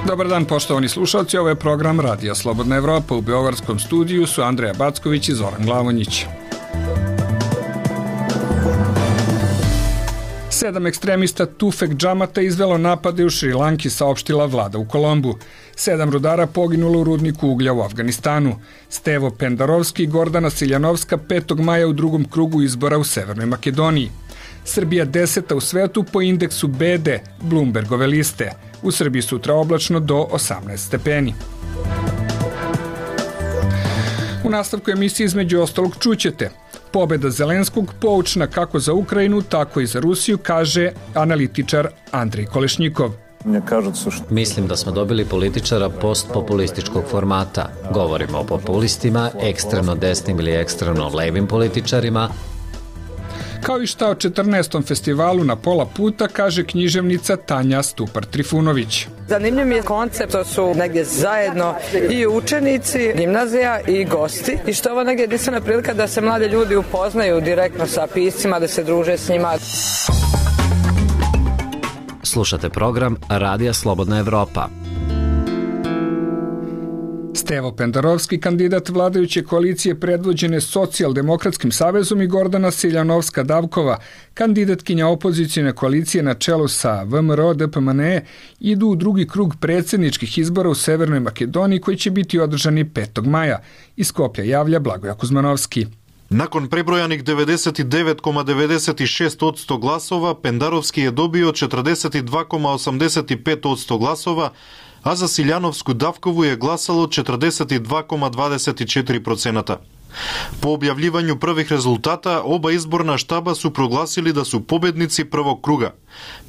Dobar dan, poštovani slušalci, ovo je program Radija Slobodna Evropa. U beogradskom studiju su Andreja Backović i Zoran Glavonjić. 7 ekstremista Tufek Džamata izvelo napade u Šrilanki, saopštila vlada u Kolombu. 7 rudara poginulo u rudniku uglja u Afganistanu. Stevo Pendarovski i Gordana Siljanovska 5. maja u drugom krugu izbora u Severnoj Makedoniji. Srbija 10. u svetu po indeksu BD Bloombergove liste. U Srbiji sutra oblačno do 18 stepeni. U nastavku emisije između ostalog čućete: pobeda Zelenskog poučna kako za Ukrajinu, tako i za Rusiju, kaže analitičar Andrej Kolešnjikov. Mislim da smo dobili političara postpopulističkog formata. Govorimo o populistima, ekstremno desnim ili ekstremno levim političarima. Kao i šta o 14. festivalu Na pola puta, kaže književnica Tanja Stupar-Trifunović. Zanimljiv mi je koncept, to su negdje zajedno i učenici, gimnazija i gosti. I što je ovo negdje jedinstvena prilika da se mladi ljudi upoznaju direktno sa piscima, da se druže s njima. Slušate program Radija Slobodna Evropa. Stevo Pendarovski, kandidat vladajuće koalicije predvođene Socijaldemokratskim savezom, i Gordana Siljanovska-Davkova, kandidatkinja opozicijne koalicije na čelu sa VMRO-DPMNE, idu u drugi krug predsjedničkih izbora u Severnoj Makedoniji koji će biti održani 5. maja. Iz Skoplja javlja Blagoja Kuzmanovski. Nakon prebrojanih 99,96% glasova, Pendarovski je dobio 42,85% glasova, a za Siljanovsku-Davkovu je glasalo 42,24%. Po objavljivanju prvih rezultata, oba izborna štaba su proglasili da su pobednici prvog kruga.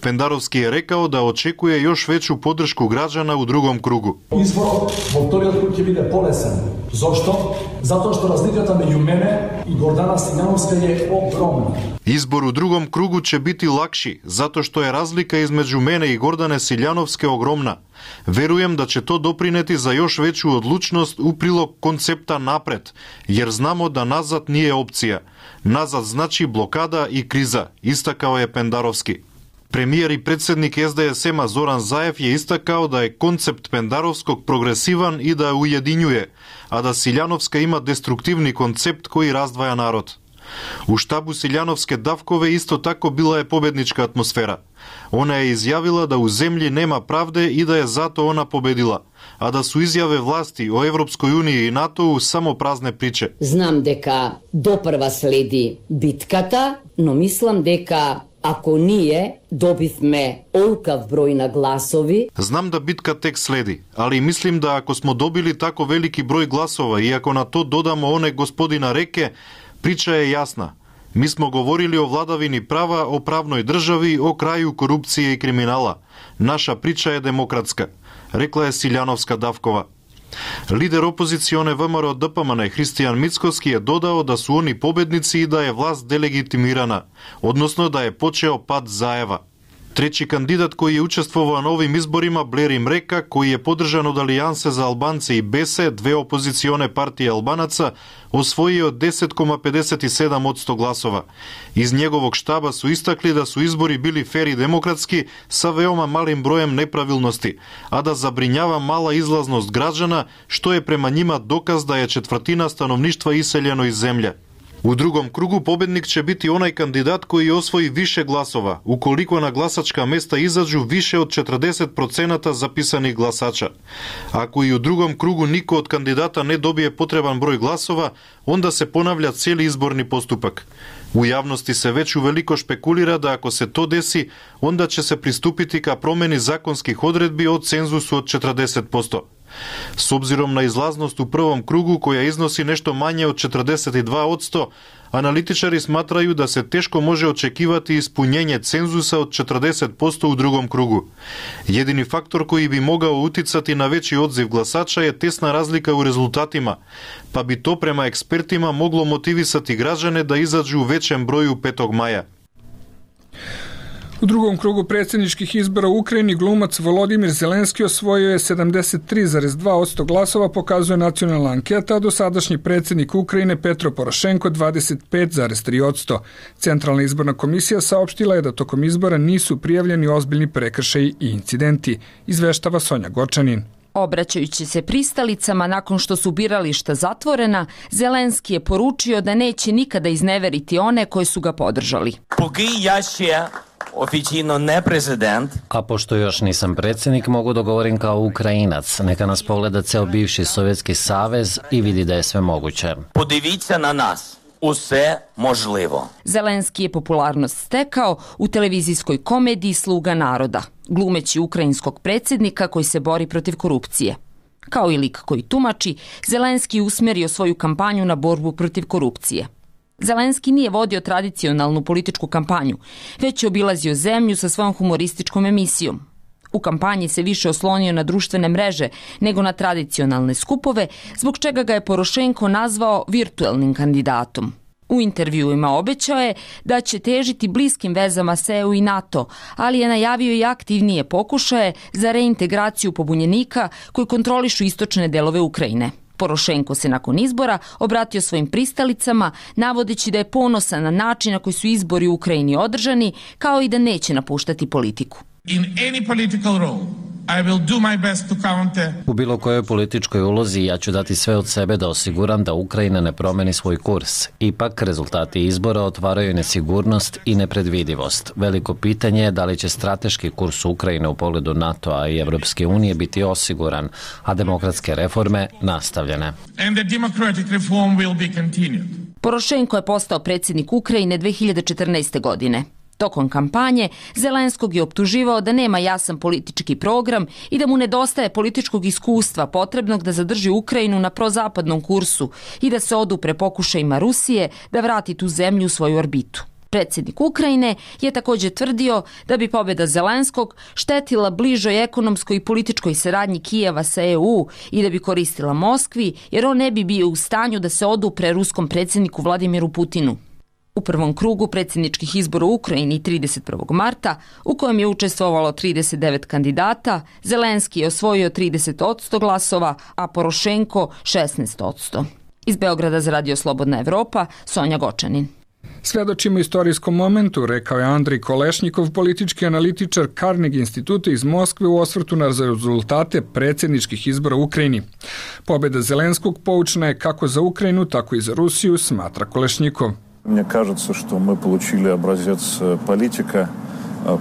Pendarovski je rekao da očekuje još veću podršku građana u drugom krugu. Izbor во вториот круг ќе биде полесен. Зошто? Затоа што разликата меѓу мене и Гордана Силјановска е огромна. Izbor u drugom krugu će biti lakši, zato što je razlika između mene i Gordane Siljanovske ogromna. Verujem da će to doprineti za još veću odlučnost u prilog koncepta napred, jer znamo da nazad nije opcija. Nazad znači blokada i kriza, istakao je Pendarovski. Premijer i predsjednik SDSM-a Zoran Zaev je istakao da je koncept Pendarovskog progresivan i da ujedinjuje, a da Siljanovska ima destruktivni koncept koji razdvaja narod. U štabu Siljanovske-Davkove isto tako bila je pobednička atmosfera. Ona je izjavila da u zemlji nema pravde i da je zato ona pobedila, a da su izjave vlasti o Evropskoj uniji i NATO-u samo prazne priče. Znam deka doprva sledi bitkata, no mislim deka ako nije, dobivme olkav broj na glasovi. Znam da bitka tek sledi, ali mislim da ako smo dobili tako veliki broj glasova i ako na to dodamo one gospodina Reke, priča je jasna. Mi smo govorili o vladavini prava, o pravnoj državi, o kraju korupcije i kriminala. Naša priča je demokratska, rekla je Siljanovska-Davkova. Lider opozicione VMRO-DPMNE Hristijan Mickovski je dodao da su oni pobednici i da je vlast delegitimirana, odnosno da je počeo pad Zaeva. Treći kandidat koji je učestvovao na ovim izborima, Blerim Reka, koji je podržan od Alijanse za Albance i Bese, dve opozicione partije Albanaca, osvojio 10,57% glasova. Iz njegovog štaba su istakli da su izbori bili fer i demokratski sa veoma malim brojem nepravilnosti, a da zabrinjava mala izlaznost građana, što je prema njima dokaz da je četvrtina stanovništva iseljeno iz zemlje. U drugom krugu pobednik će biti onaj kandidat koji osvoji više glasova, ukoliko na glasačka mesta izađu više od 40% zapisanih glasača. Ako i u drugom krugu niko od kandidata ne dobije potreban broj glasova, onda se ponavlja cijeli izborni postupak. U javnosti se već uveliko špekulira da ako se to desi, onda će se pristupiti ka promjeni zakonskih odredbi o cenzusu od 40%. S obzirom na izlaznost u prvom krugu koja iznosi nešto manje od 42%, analitičari smatraju da se teško može očekivati ispunjenje cenzusa od 40% u drugom krugu. Jedini faktor koji bi mogao uticati na veći odziv glasača je tesna razlika u rezultatima, pa bi to prema ekspertima moglo motivisati građane da izađu u većem broju 5. maja. U drugom krugu predsjedničkih izbora u Ukrajini glumac Volodimir Zelenski osvojio je 73,2% glasova, pokazuje nacionalna anketa, a dosadašnji predsjednik Ukrajine Petro Porošenko 25,3%. Centralna izborna komisija saopštila je da tokom izbora nisu prijavljeni ozbiljni prekršaji i incidenti, izveštava Sonja Gočanin. Obraćajući se pristalicama nakon što su birališta zatvorena, Zelenski je poručio da neće nikada izneveriti one koji su ga podržali. Oficijalno ne prezident. A pošto još nisam predsjednik, mogu da govorim kao Ukrajinac. Neka nas pogleda ceo bivši Sovjetski savez i vidi da je sve moguće. Podivіться na nas. Uсе možljivo. Zelenski je popularnost stekao u televizijskoj komediji Sluga naroda, glumeći ukrajinskog predsjednika koji se bori protiv korupcije. Kao i lik koji tumači, Zelenski je usmjerio svoju kampanju na borbu protiv korupcije. Zelenski nije vodio tradicionalnu političku kampanju, već je obilazio zemlju sa svojom humorističkom emisijom. U kampanji se više oslonio na društvene mreže nego na tradicionalne skupove, zbog čega ga je Porošenko nazvao virtualnim kandidatom. U intervjuima obećao je da će težiti bliskim vezama s EU i NATO, ali je najavio i aktivnije pokušaje za reintegraciju pobunjenika koji kontrolišu istočne delove Ukrajine. Porošenko se nakon izbora obratio svojim pristalicama, navodeći da je ponosan na način na koji su izbori u Ukrajini održani, kao i da neće napuštati politiku. U bilo kojoj političkoj ulozi ja ću dati sve od sebe da osiguram da Ukrajina ne promeni svoj kurs. Ipak, rezultati izbora otvaraju nesigurnost i nepredvidivost. Veliko pitanje je da li će strateški kurs Ukrajine u pogledu NATO-a i Evropske unije biti osiguran, a demokratske reforme nastavljene. Porošenko je postao predsjednik Ukrajine 2014. godine. Tokom kampanje Zelenskog je optuživao da nema jasan politički program i da mu nedostaje političkog iskustva potrebnog da zadrži Ukrajinu na prozapadnom kursu i da se odupre pokušajima Rusije da vrati tu zemlju u svoju orbitu. Predsjednik Ukrajine je također tvrdio da bi pobjeda Zelenskog štetila bližoj ekonomskoj i političkoj saradnji Kijeva sa EU i da bi koristila Moskvi, jer on ne bi bio u stanju da se odupre ruskom predsjedniku Vladimiru Putinu. U prvom krugu predsjedničkih izbora u Ukrajini 31. marta, u kojem je učestvovalo 39 kandidata, Zelenski je osvojio 30% glasova, a Porošenko 16%. Iz Beograda za Radio Slobodna Evropa, Sonja Gočanin. Svedočimo istorijskom momentu, rekao je Andrej Kolešnikov, politički analitičar Carnegie instituta iz Moskve u osvrtu na rezultate predsjedničkih izbora u Ukrajini. Pobjeda Zelenskog poučna je kako za Ukrajinu, tako i za Rusiju, smatra Kolešnikov. Мне кажется, что мы получили образец политика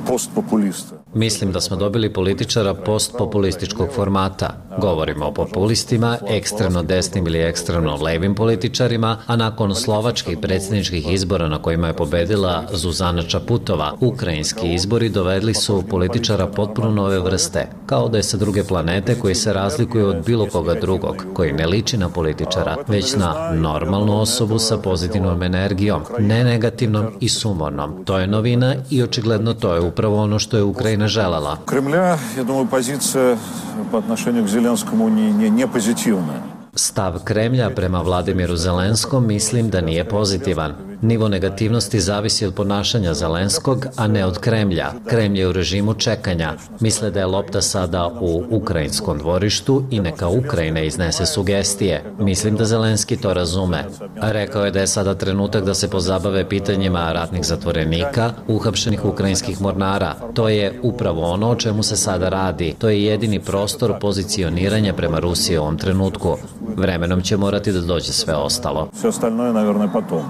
постпопулиста. Mislim da smo dobili političara postpopulističkog formata. Govorimo o populistima, ekstremno desnim ili ekstremno levim političarima, a nakon slovačkih predsjedničkih izbora na kojima je pobedila Zuzana Čaputova, ukrajinski izbori dovedli su političara potpuno nove vrste, kao da je sa druge planete koji se razlikuju od bilo koga drugog, koji ne liči na političara, već na normalnu osobu sa pozitivnom energijom, ne negativnom i sumornom. To je novina i očigledno to je upravo ono što je Ukrajina željela. Кремля, я думаю, позиция по отношению к Зеленскому не позитивная. Stav Kremlja prema Vladimiru Zelenskom mislim da nije pozitivan. Nivo negativnosti zavisi od ponašanja Zelenskog, a ne od Kremlja. Kremlj je u režimu čekanja. Misle da je lopta sada u ukrajinskom dvorištu i neka Ukrajina iznese sugestije. Mislim da Zelenski to razume. Rekao je da je sada trenutak da se pozabave pitanjima ratnih zatvorenika, uhapšenih ukrajinskih mornara. To je upravo ono o čemu se sada radi. To je jedini prostor pozicioniranja prema Rusiji u ovom trenutku. Vremenom će morati da dođe sve ostalo. Sve ostalo je, naravno, potom.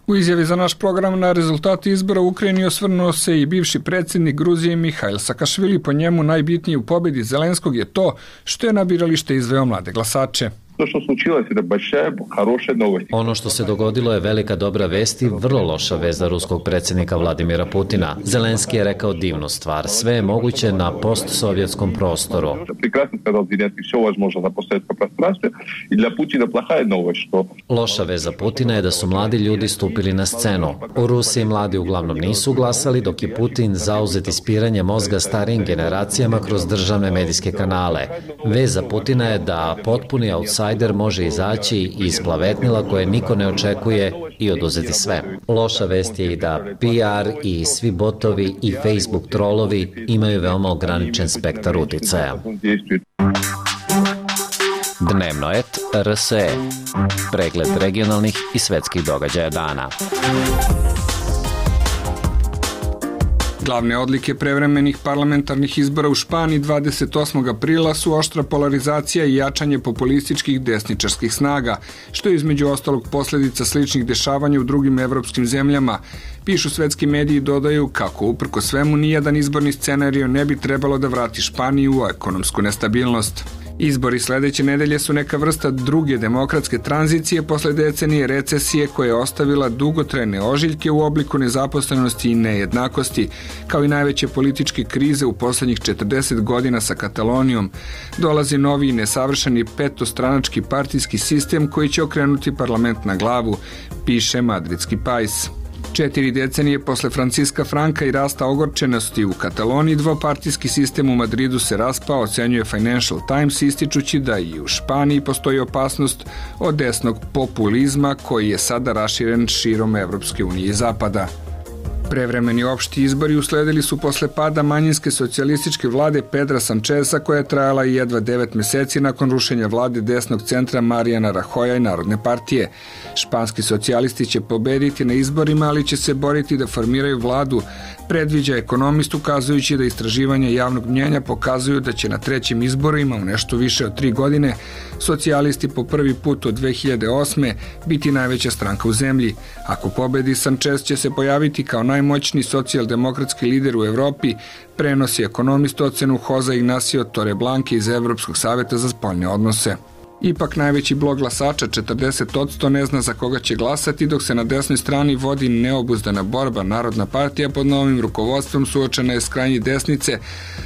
U izjavi za naš program na rezultati izbora u Ukrajini osvrnuo se i bivši predsjednik Gruzije Mihail Sakašvili. Po njemu najbitnije u pobjedi Zelenskog je to što je na biralište izveo mlade glasače. Ono što se dogodilo je velika dobra vest i vrlo loša vest za ruskog predsjednika Vladimira Putina. Zelenski je rekao divnu stvar. Sve je moguće na postsovjetskom prostoru. Loša vest za Putina je da su mladi ljudi stupili na scenu. U Rusiji mladi uglavnom nisu glasali, dok je Putin zauzet ispiranje mozga starijim generacijama kroz državne medijske kanale. Vest za Putina je da potpuni outsider insajder može izaći iz plavetnila koje niko ne očekuje i oduzeti sve. Loša vest je i da PR i svi botovi i Facebook trolovi imaju veoma ograničen spektar uticaja. Dnevno et RSE. Pregled regionalnih i svetskih događaja dana. Glavne odlike prevremenih parlamentarnih izbora u Španiji 28. aprila su oštra polarizacija i jačanje populističkih desničarskih snaga, što je između ostalog posljedica sličnih dešavanja u drugim evropskim zemljama. Pišu svetski mediji i dodaju kako uprko svemu nijedan izborni scenario ne bi trebalo da vrati Španiju u ekonomsku nestabilnost. Izbori sledeće nedelje su neka vrsta druge demokratske tranzicije posle decenije recesije koja je ostavila dugotrajne ožiljke u obliku nezaposlenosti i nejednakosti, kao i najveće političke krize u poslednjih 40 godina sa Katalonijom. Dolazi novi i nesavršeni petostranački partijski sistem koji će okrenuti parlament na glavu, piše madridski Pais. 4 decenije posle Franciska Franka i rasta ogorčenosti u Kataloniji, dvopartijski sistem u Madridu se raspao, ocenjuje Financial Times, ističući da i u Španiji postoji opasnost od desnog populizma koji je sada raširen širom Evropske unije i Zapada. Prevremeni opšti izbori usledili su posle pada manjinske socijalističke vlade Pedra Sancheza koja je trajala i jedva 9 meseci nakon rušenja vlade desnog centra Mariana Rajoja i Narodne partije. Španski socijalisti će pobediti na izborima, ali će se boriti da formiraju vladu, predviđa ekonomist, ukazujući da istraživanja javnog mnjenja pokazuju da će na trećim izborima u nešto više od 3 godine socijalisti po prvi put od 2008. biti najveća stranka u zemlji. Ako pobedi, Sanchez će se pojaviti kao najmoćniji socijaldemokratski lider u Evropi, prenosi ekonomist ocenu Jose Ignacio Torreblanca iz Evropskog saveta za spoljne odnose. Ipak najveći blok glasača, 40%, ne zna za koga će glasati, dok se na desnoj strani vodi neobuzdana borba. Narodna partija pod novim rukovodstvom suočena je s krajnje desnice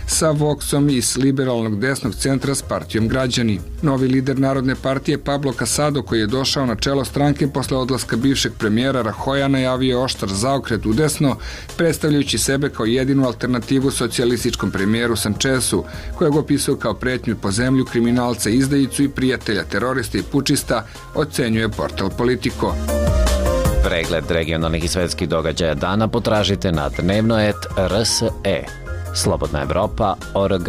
sa Voxom i s liberalnog desnog centra s partijom Građani. Novi lider Narodne partije Pablo Casado, koji je došao na čelo stranke posle odlaska bivšeg premijera Rajoja, najavio oštar zaokret u desno, predstavljajući sebe kao jedinu alternativu socijalističkom premijeru Sanchezu, kojeg opisao kao pretnju po zemlju, kriminalca, izdajicu i prijatelja terorista i pučista, ocenjuje portal Politico. Pregled regionalnih i svetskih događaja dana potražite na dnevno et RSE. Slobodna Evropa.org.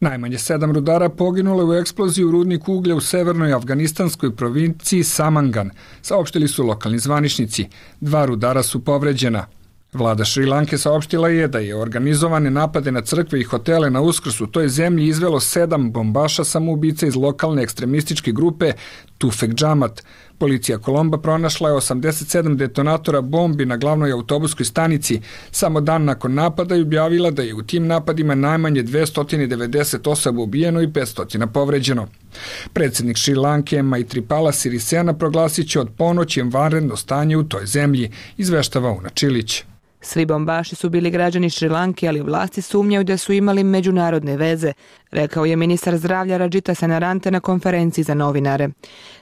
Najmanje 7 rudara poginulo u eksploziji u rudniku uglja u severnoj afganistanskoj provinciji Samangan, saopštili su lokalni zvaničnici. 2 rudara su povređena. Vlada Šrilanke saopštila je da je organizovane napade na crkve i hotele na Uskrs u toj zemlji izvelo 7 bombaša samoubica iz lokalne ekstremističke grupe Tufek Džamat. Policija Kolomba pronašla je 87 detonatora bombi na glavnoj autobuskoj stanici. Samo dan nakon napada i objavila da je u tim napadima najmanje 290 osoba ubijeno i 500 povređeno. Predsjednik Šrilanke Maithripala Sirisena proglasit će od ponoći vanredno stanje u toj zemlji, izveštava Una Čilić. Svi bombaši su bili građani Šrilanke, ali vlasti sumnjaju da su imali međunarodne veze, rekao je ministar zdravlja Rajita Senarante na konferenciji za novinare.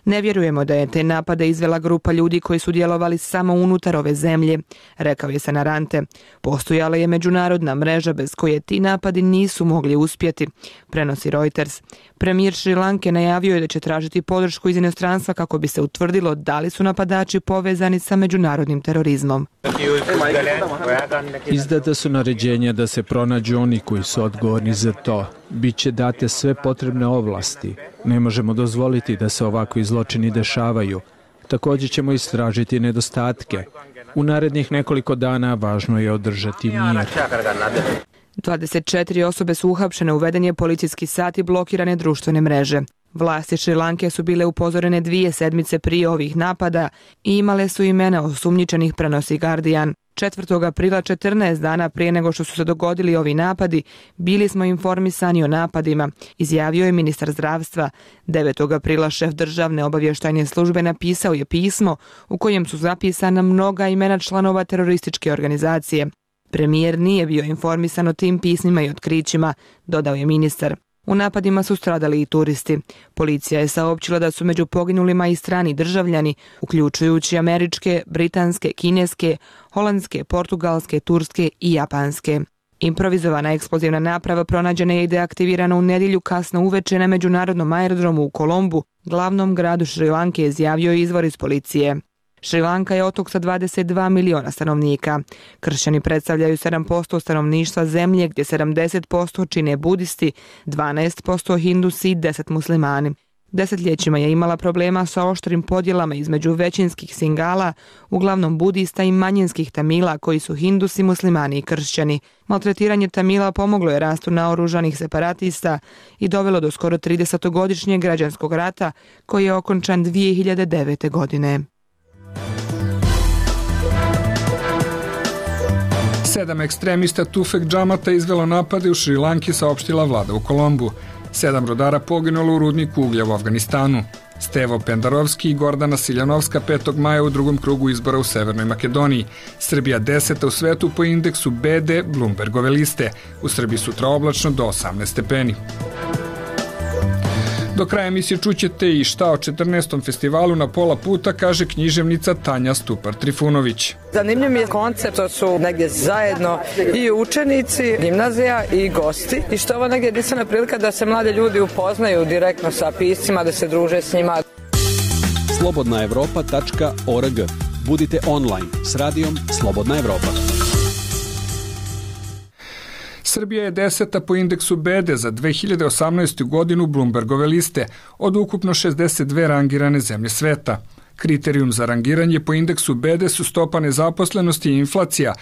Ne vjerujemo da je te napade izvela grupa ljudi koji su djelovali samo unutar ove zemlje, rekao je Senarante. Postojala je međunarodna mreža bez koje ti napadi nisu mogli uspjeti, prenosi Reuters. Premijer Šrilanke najavio je da će tražiti podršku iz inostranstva kako bi se utvrdilo da li su napadači povezani sa međunarodnim terorizmom. Izdata su naređenja da se pronađu oni koji su odgovorni za to. Biće date sve potrebne ovlasti. Ne možemo dozvoliti da se ovakvi zločini dešavaju. Također ćemo istražiti nedostatke. U narednih nekoliko dana važno je održati mir. 24 osobe su uhapšene, uveden je policijski sat i blokirane društvene mreže. Vlasti Šrilanke su bile upozorene 2 sedmice prije ovih napada i imale su imena osumnjičenih, prenosi Guardian. 4. aprila, 14 dana prije nego što su se dogodili ovi napadi, bili smo informisani o napadima, izjavio je ministar zdravstva. 9. aprila šef državne obavještajne službe napisao je pismo u kojem su zapisana mnoga imena članova terorističke organizacije. Premijer nije bio informisan o tim pismima i otkrićima, dodao je ministar. U napadima su stradali i turisti. Policija je saopćila da su među poginulima i strani državljani, uključujući američke, britanske, kineske, holandske, portugalske, turske i japanske. Improvizovana eksplozivna naprava pronađena je i deaktivirana u nedjelju kasno uveče na međunarodnom aerodromu u Kolombu, glavnom gradu Šrilanke, izjavio je izvor iz policije. Šrilanka je otok sa 22 miliona stanovnika. Kršćani predstavljaju 7% stanovništva zemlje, gdje 70% čine budisti, 12% hindusi i 10 muslimani. Desetljećima je imala problema sa oštrim podjelama između većinskih Singala, uglavnom budista, i manjinskih Tamila, koji su hindusi, muslimani i kršćani. Maltretiranje Tamila pomoglo je rastu naoružanih separatista i dovelo do skoro 30-godišnjeg građanskog rata, koji je okončan 2009. godine. 7 ekstremista Tufek Džamata izvelo napade u Šrilanki, saopštila vlada u Kolombu. 7 rudara poginulo u rudniku uglja u Afganistanu. Stevo Pendarovski i Gordana Siljanovska 5. maja u drugom krugu izbora u Severnoj Makedoniji. Srbija 10. u svetu po indeksu BD Bloombergove liste. U Srbiji sutra oblačno do 18 stepeni. Do kraja emisije čućete i šta o 14. festivalu Na pola puta kaže književnica Tanja Stupar-Trifunović. Zanimljiv mi je koncept, to su negdje zajedno i učenici, gimnazija i gosti. I što je ovo negdje jedinstvena prilika da se mladi ljudi upoznaju direktno sa piscima, da se druže s njima. slobodnaevropa.org. Budite online s radijom Slobodna Evropa. Srbija je 10. po indeksu BD za 2018. godinu Bloombergove liste od ukupno 62 rangirane zemlje sveta. Kriterijum za rangiranje po indeksu BD su stopa nezaposlenosti i inflacija,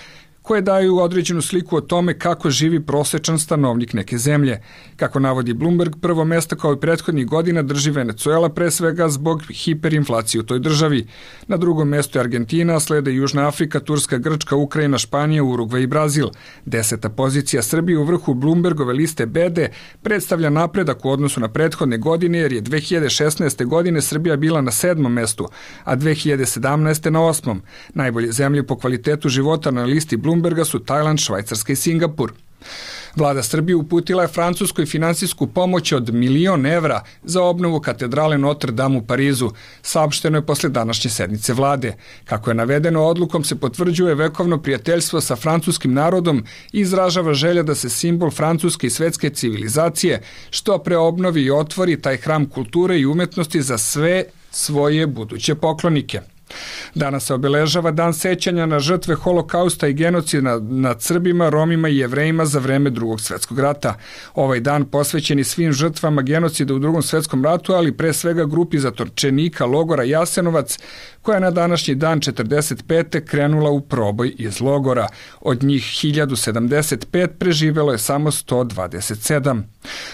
koje daju određenu sliku o tome kako živi prosječan stanovnik neke zemlje. Kako navodi Bloomberg, prvo mesto kao i prethodnih godina drži Venezuela, pre svega zbog hiperinflacije u toj državi. Na drugom mjestu je Argentina, slede Južna Afrika, Turska, Grčka, Ukrajina, Španija, Urugvaj i Brazil. 10. pozicija Srbije u vrhu Bloombergove liste BD predstavlja napredak u odnosu na prethodne godine, jer je 2016. godine Srbija bila na 7. mestu, a 2017. na 8. Najbolje zemlje po kvalitetu života na listi Bloomberga su Tajland, Švajcarska i Singapur. Vlada Srbije uputila je Francuskoj finansijsku pomoć od 1 milion evra za obnovu katedrale Notre Dame u Parizu, saopšteno je posle današnje sednice vlade. Kako je navedeno, odlukom se potvrđuje vekovno prijateljstvo sa francuskim narodom i izražava želja da se simbol francuske i svetske civilizacije što pre obnovi i otvori taj hram kulture i umetnosti za sve svoje buduće poklonike. Danas se obeležava dan sećanja na žrtve holokausta i genocida nad Srbima, Romima i Jevrejima za vreme Drugog svjetskog rata. Ovaj dan posvećen je svim žrtvama genocida u Drugom svjetskom ratu, ali pre svega grupi zatočenika logora Jasenovac, koja je na današnji dan 45. krenula u proboj iz logora. Od njih 1075 preživelo je samo 127.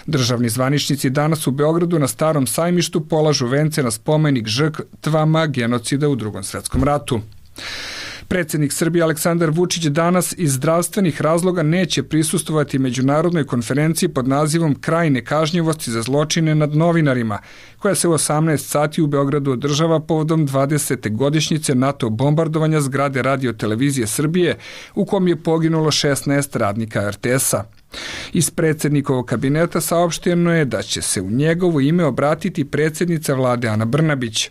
Državni zvaničnici danas u Beogradu na Starom sajmištu polažu vence na spomenik žrtvama genocida u Drugom svjetskom ratu. Predsjednik Srbije Aleksandar Vučić danas iz zdravstvenih razloga neće prisustvovati međunarodnoj konferenciji pod nazivom Kraj nekažnjivosti za zločine nad novinarima, koja se u 18 sati u Beogradu održava povodom 20. godišnjice NATO bombardovanja zgrade Radio-televizije Srbije, u kom je poginulo 16 radnika RTS-a. Iz predsjednikovog kabineta saopšteno je da će se u njegovo ime obratiti predsjednica vlade Ana Brnabić.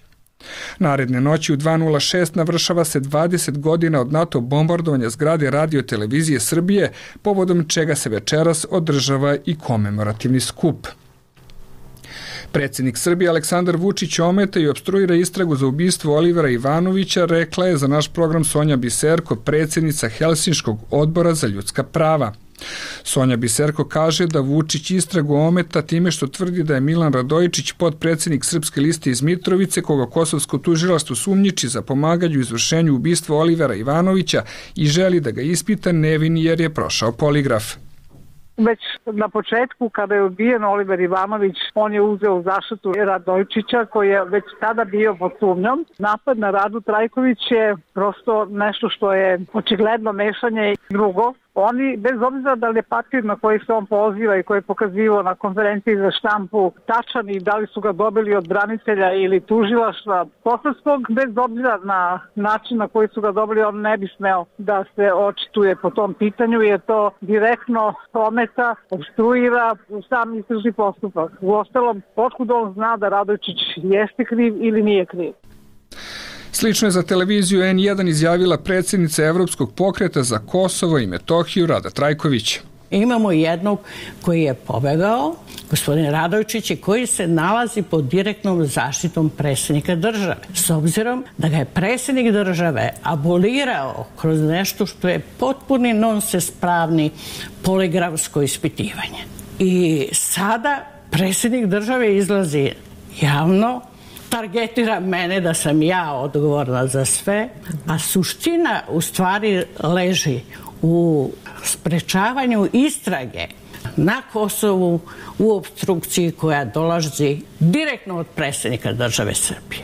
Naredne noći u 2:06 navršava se 20 godina od NATO bombardovanja zgrade Radio-televizije Srbije, povodom čega se večeras održava i komemorativni skup. Predsjednik Srbije Aleksandar Vučić ometa i opstruira istragu za ubistvo Olivera Ivanovića, rekla je za naš program Sonja Biserko, predsjednica Helsinškog odbora za ljudska prava. Sonja Biserko kaže da Vučić istragu ometa time što tvrdi da je Milan Radojičić, potpredsjednik Srpske liste iz Mitrovice, koga kosovsko tužilaštvo sumnjiči za pomaganje u izvršenju ubistva Olivera Ivanovića i želi da ga ispita nevin jer je prošao poligraf. Već na početku, kada je ubijen Oliver Ivanović, on je uzeo u zaštitu Radojičića, koji je već tada bio pod sumnjom. Napad na Radu Trajković je prosto nešto što je očigledno mešanje. Drugo, oni, bez obzira da li je papir na koji se on poziva i koji je pokazivao na konferenciji za štampu tačan i da li su ga dobili od branitelja ili tužilaštva kosovskog, bez obzira na način na koji su ga dobili, on ne bi smeo da se očituje po tom pitanju, jer to direktno ometa, obstruira sam istražni postupak. Uostalom, otkud on zna da Radojičić jeste kriv ili nije kriv? Slično je za televiziju N1 izjavila predsjednica Evropskog pokreta za Kosovo i Metohiju Rada Trajković. Imamo jednog koji je pobegao, gospodin Radojčić, koji se nalazi pod direktnom zaštitom predsjednika države. S obzirom da ga je predsjednik države abolirao kroz nešto što je potpuni nonsens pravni poligrafsko ispitivanje. I sada predsjednik države izlazi javno, targetira mene da sam ja odgovorna za sve, a suština u stvari leži u sprečavanju istrage na Kosovu u opstrukciji koja dolazi direktno od predsjednika države Srbije.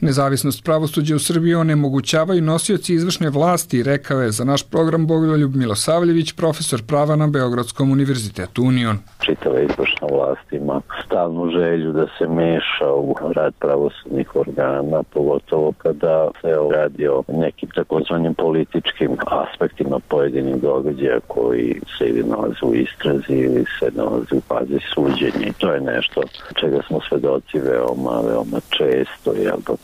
Nezavisnost pravosuđa u Srbiji onemogućavaju nosioci izvršne vlasti, rekao je za naš program Bogoljub Milosavljević, profesor prava na Beogradskom univerzitetu Union. Čitava izvršna vlast ima stalnu želju da se meša u rad pravosudnih organa, pogotovo kada se radi o nekim takozvanim političkim aspektima pojedinih događaja koji se ili nalaze u istrazi ili se nalaze u fazi suđenja. I to je nešto čega smo svedoci veoma često,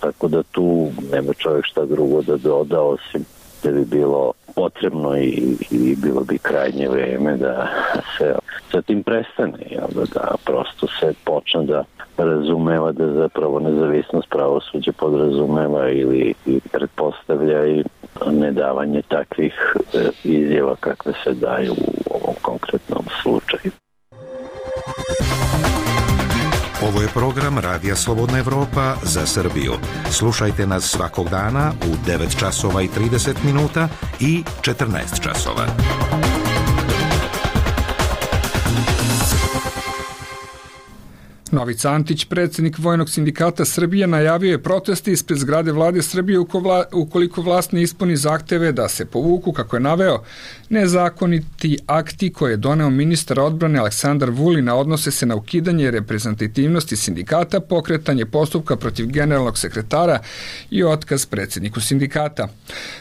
tako da tu nema čovjek šta drugo da doda, osim da bi bilo potrebno i bilo bi krajnje vreme da se sa tim prestane, da prosto se počne da razumeva da zapravo nezavisnost pravosuđa podrazumeva ili pretpostavlja i nedavanje takvih izjava kakve se daju u ovom konkretnom slučaju. Ovo je program Radija Slobodna Evropa za Srbiju. Slušajte nas svakog dana u 9 časova i 30 minuta i 14 časova. Novica Antić, predsjednik Vojnog sindikata Srbije, najavio je proteste ispred zgrade vlade Srbije ukoliko vlast ne ispuni zahteve da se povuku, kako je naveo, nezakoniti akti koje je doneo ministar odbrane Aleksandar Vulin, odnose se na ukidanje reprezentativnosti sindikata, pokretanje postupka protiv generalnog sekretara i otkaz predsjedniku sindikata.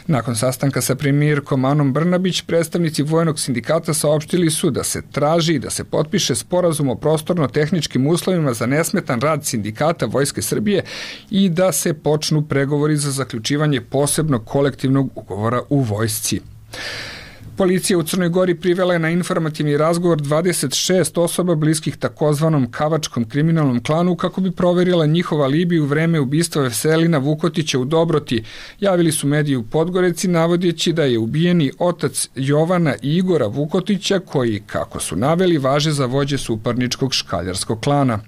Nakon sastanka sa premijerkom Anom Brnabić, predstavnici Vojnog sindikata saopštili su da se traži i da se potpiše sporazum o prostorno-tehničkim uslovima za nesmetan rad sindikata Vojske Srbije i da se počnu pregovori za zaključivanje posebnog kolektivnog ugovora u vojsci. Policija u Crnoj Gori privela je na informativni razgovor 26 osoba bliskih takozvanom kavačkom kriminalnom klanu kako bi proverila njihov alibi u vreme ubistva Veselina Vukotića u Dobroti. Javili su mediji u Podgoreci navodeći da je ubijeni otac Jovana i Igora Vukotića koji, kako su naveli, važe za vođe suparničkog škaljarskog klana.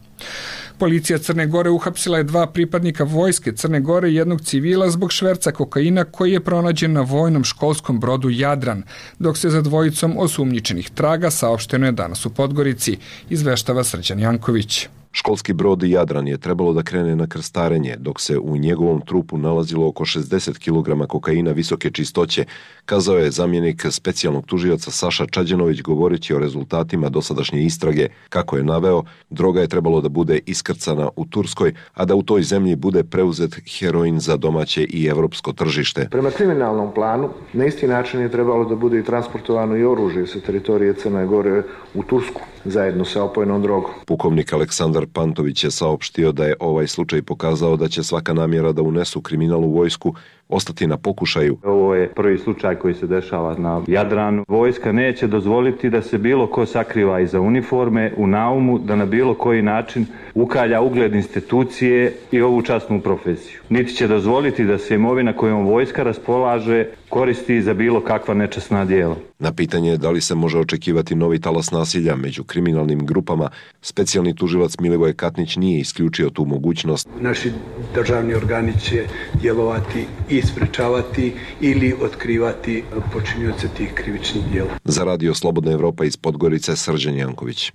Policija Crne Gore uhapsila je 2 pripadnika Vojske Crne Gore i jednog civila zbog šverca kokaina koji je pronađen na vojnom školskom brodu Jadran, dok se za dvojicom osumnjičenih traga, saopšteno je danas u Podgorici, izveštava Srđan Janković. Školski brod Jadran je trebalo da krene na krstarenje, dok se u njegovom trupu nalazilo oko 60 kg kokaina visoke čistoće, kazao je zamjenik specijalnog tužioca Saša Čađanović govoreći o rezultatima dosadašnje istrage. Kako je naveo, droga je trebalo da bude iskrcana u Turskoj, a da u toj zemlji bude preuzet heroin za domaće i evropsko tržište. Prema kriminalnom planu, na isti način je trebalo da bude i transportovano i oružje sa teritorije Crne Gore u Tursku, zajedno sa opojnom drogom. Pukovnik Aleksandar Pantović je saopštio da je ovaj slučaj pokazao da će svaka namjera da unesu kriminal u vojsku ostati na pokušaju. Ovo je prvi slučaj koji se dešava na Jadranu. Vojska neće dozvoliti da se bilo ko sakriva iza uniforme u naumu, da na bilo koji način ukalja ugled institucije i ovu časnu profesiju. Niti će dozvoliti da se imovina kojom vojska raspolaže koristi za bilo kakva nečasna djela. Na pitanje da li se može očekivati novi talas nasilja među kriminalnim grupama, specijalni tužilac Milivoj Katnić nije isključio tu mogućnost. Naši državni organi će djelovati i sprečavati ili otkrivati počinioce tih krivičnih djela. Za Radio Slobodna Evropa iz Podgorice, Srđan Janković.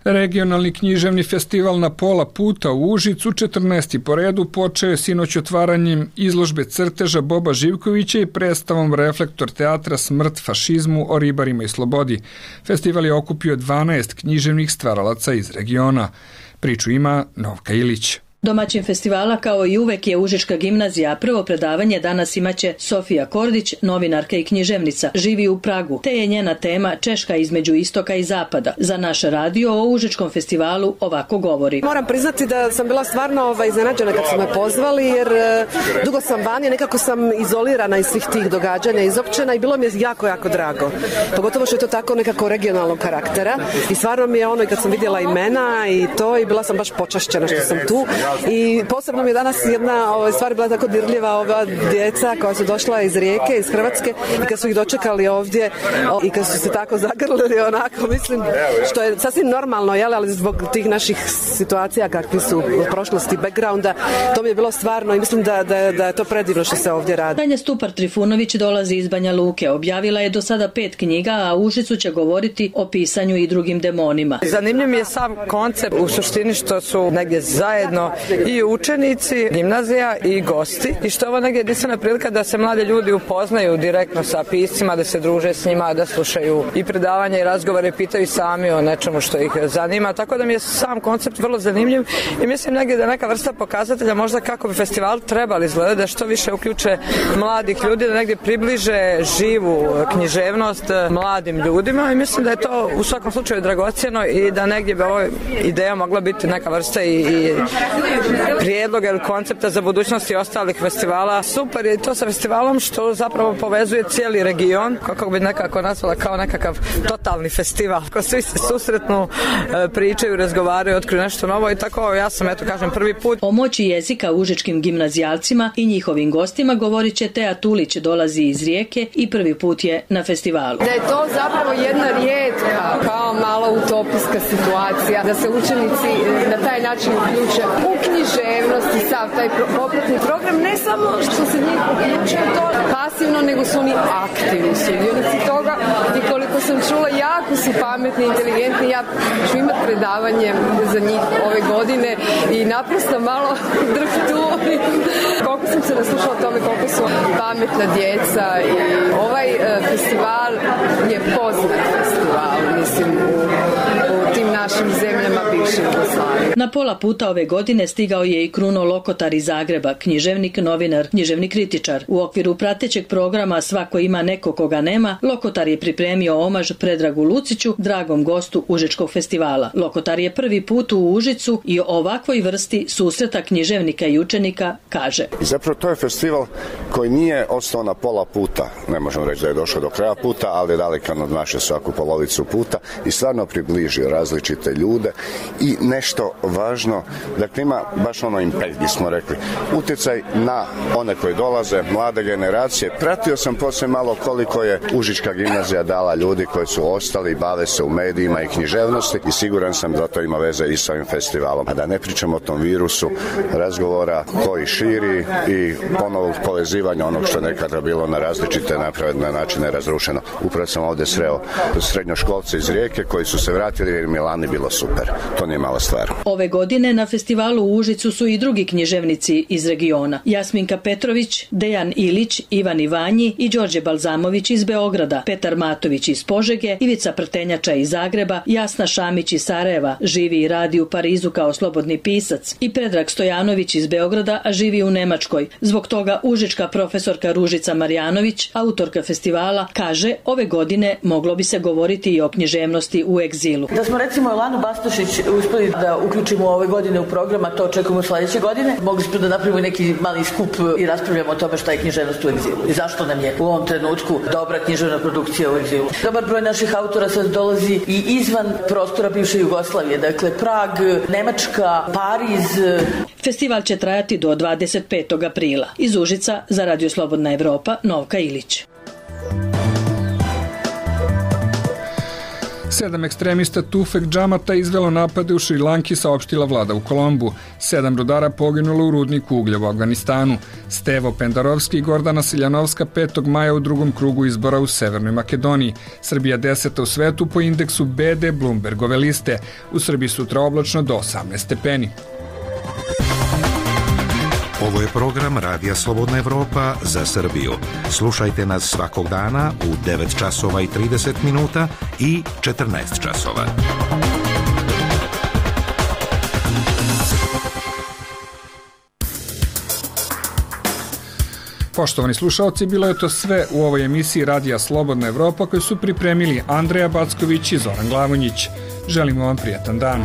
Regionalni književni festival Na pola puta u Užicu, 14. po redu, počeo je sinoć otvaranjem izložbe crteža Boba Živkovića i predstavom Reflektor teatra Smrt fašizmu o ribarima i slobodi. Festival je okupio 12 književnih stvaralaca iz regiona. Priču ima Novka Ilić. Domaćin festivala kao i uvek je Užička gimnazija, a prvo predavanje danas imaće Sofija Kordić, novinarka i književnica, živi u Pragu, te je njena tema Češka između istoka i zapada. Za naš radio o Užičkom festivalu ovako govori. Moram priznati da sam bila stvarno iznenađena kad su me pozvali, jer dugo sam vani, nekako sam izolirana iz svih tih događanja, izopćena i bilo mi je jako, jako drago. Pogotovo što je to tako nekako regionalnog karaktera i stvarno mi je i kad sam vidjela imena i to i bila sam baš počašćena što sam tu. I posebno mi je danas jedna stvar bila tako dirljiva, ova djeca koja su došla iz Rijeke, iz Hrvatske i kad su ih dočekali ovdje i kad su se tako zagrlili onako, mislim, što je sasvim normalno, ali zbog tih naših situacija kakvi su u prošlosti, backgrounda, to mi je bilo stvarno i mislim da je to predivno što se ovdje radi. Tanja Stupar-Trifunović dolazi iz Banja Luke, objavila je do sada 5 knjiga, a u Užicu će govoriti o pisanju i drugim demonima. Zanimljiv mi je sam koncept u suštini što su negdje zajedno i učenici, gimnazija i gosti i što je ovo negdje jedinstvena prilika da se mladi ljudi upoznaju direktno sa piscima, da se druže s njima, da slušaju i predavanja i razgovore, pitaju sami o nečemu što ih zanima, tako da mi je sam koncept vrlo zanimljiv i mislim negdje da je neka vrsta pokazatelja možda kako bi festival trebali izgledati, da što više uključe mladih ljudi, da negdje približe živu književnost mladim ljudima i mislim da je to u svakom slučaju dragocjeno i da negdje bi ovo ideja mogla biti neka vrsta i prijedloga ili koncepta za budućnost i ostalih festivala. Super je to sa festivalom što zapravo povezuje cijeli region, kako bi nekako nazvala kao nekakav totalni festival. Ko svi se susretnu, pričaju, razgovaraju, otkriju nešto novo i tako ja sam, prvi put. O moći jezika užičkim gimnazijalcima i njihovim gostima govorit će Teja Tulić, dolazi iz Rijeke i prvi put je na festivalu. Da je to zapravo jedna rijetka, kao malo utopijska situacija, da se učenici na taj način uključe u književnost i sav taj popratni program, ne samo što se njih uključuje to pasivno, nego su oni aktivni sudionici toga i koliko sam čula, jako su pametni, inteligentni. Ja ću imati predavanje za njih ove godine i naprosto malo drhtu. Koliko sam se naslušala o tome koliko su pametna djeca i ovaj festival je poznat festival, mislim, u tim našim zemljama bivše Jugoslavije. Na pola puta ove godine stigao je i Kruno Lokotar iz Zagreba, književnik, novinar, književni kritičar. U okviru pratećeg programa Svako ima neko koga nema, Lokotar je pripremio omaž Predragu Luciću, dragom gostu Užičkog festivala. Lokotar je prvi put u Užicu i o ovakvoj vrsti susreta književnika i učenika kaže. Zapravo to je festival koji nije ostao na pola puta, ne možemo reći da je došao do kraja puta, ali je daleko nadmašio svaku polovicu puta i stvarno približio različite ljude i nešto važno, dakle ima baš impact, bismo rekli, utjecaj na one koji dolaze, mlade generacije. Pratio sam poslije malo koliko je Užička gimnazija dala ljudi koji su ostali i bave se u medijima i književnosti i siguran sam da to ima veze i s ovim festivalom. A da ne pričamo o tom virusu razgovora koji širi i ponovog povezivanja onog što nekada bilo na različite napravne načine razrušeno. Upravo sam ovdje sreo srednjoškolce iz Rijeke koji su se vratili jer Milani bilo super. To nije mala stvar. Ove godine na festivalu u Užicu su i drugi književnici iz regiona. Jasminka Petrović, Dejan Ilić, Ivan Ivanji i Đorđe Balzamović iz Beograda, Petar Matović iz Požege, Ivica Prtenjača iz Zagreba, Jasna Šamić iz Sarajeva, živi i radi u Parizu kao slobodni pisac, i Predrag Stojanović iz Beograda, a živi u Nemačkoj. Zbog toga užička profesorka Ružica Marjanović, autorka festivala, kaže ove godine moglo bi se govoriti i o književnosti u egzilu. Da smo recimo Elanu Bastošić uspeli da uključimo ove godine u program, a to očekujemo sledeće godine, mogli smo da napravimo neki mali skup i raspravljamo o tome šta je književnost u egzilu i zašto nam je u ovom trenutku dobra književna produkcija u egzilu. Dobar broj naših autora sad dolazi i izvan prostora bivše Jugoslavije, dakle Prag, Nemačka, Pariz. Festival će trajati do 25. aprila. Iz Užica za Radio Slobodna Evropa, Novka Ilić. 7 ekstremista Tufek Džamata izvelo napade u Šrilanki, saopštila vlada u Kolombu. 7 rudara poginulo u rudniku uglja u Afganistanu. Stevo Pendarovski i Gordana Siljanovska 5. maja u drugom krugu izbora u Severnoj Makedoniji. Srbija 10. u svetu po indeksu BD Bloombergove liste. U Srbiji sutra oblačno do 18 stepeni. Ovo je program Radija Slobodna Evropa za Srbiju. Slušajte nas svakog dana u 9 časova i 30 minuta i 14 časova. Poštovani slušalci, bilo je to sve u ovoj emisiji Radija Slobodna Evropa koju su pripremili Andreja Backović i Zoran Glavonjić. Želimo vam prijatan dan.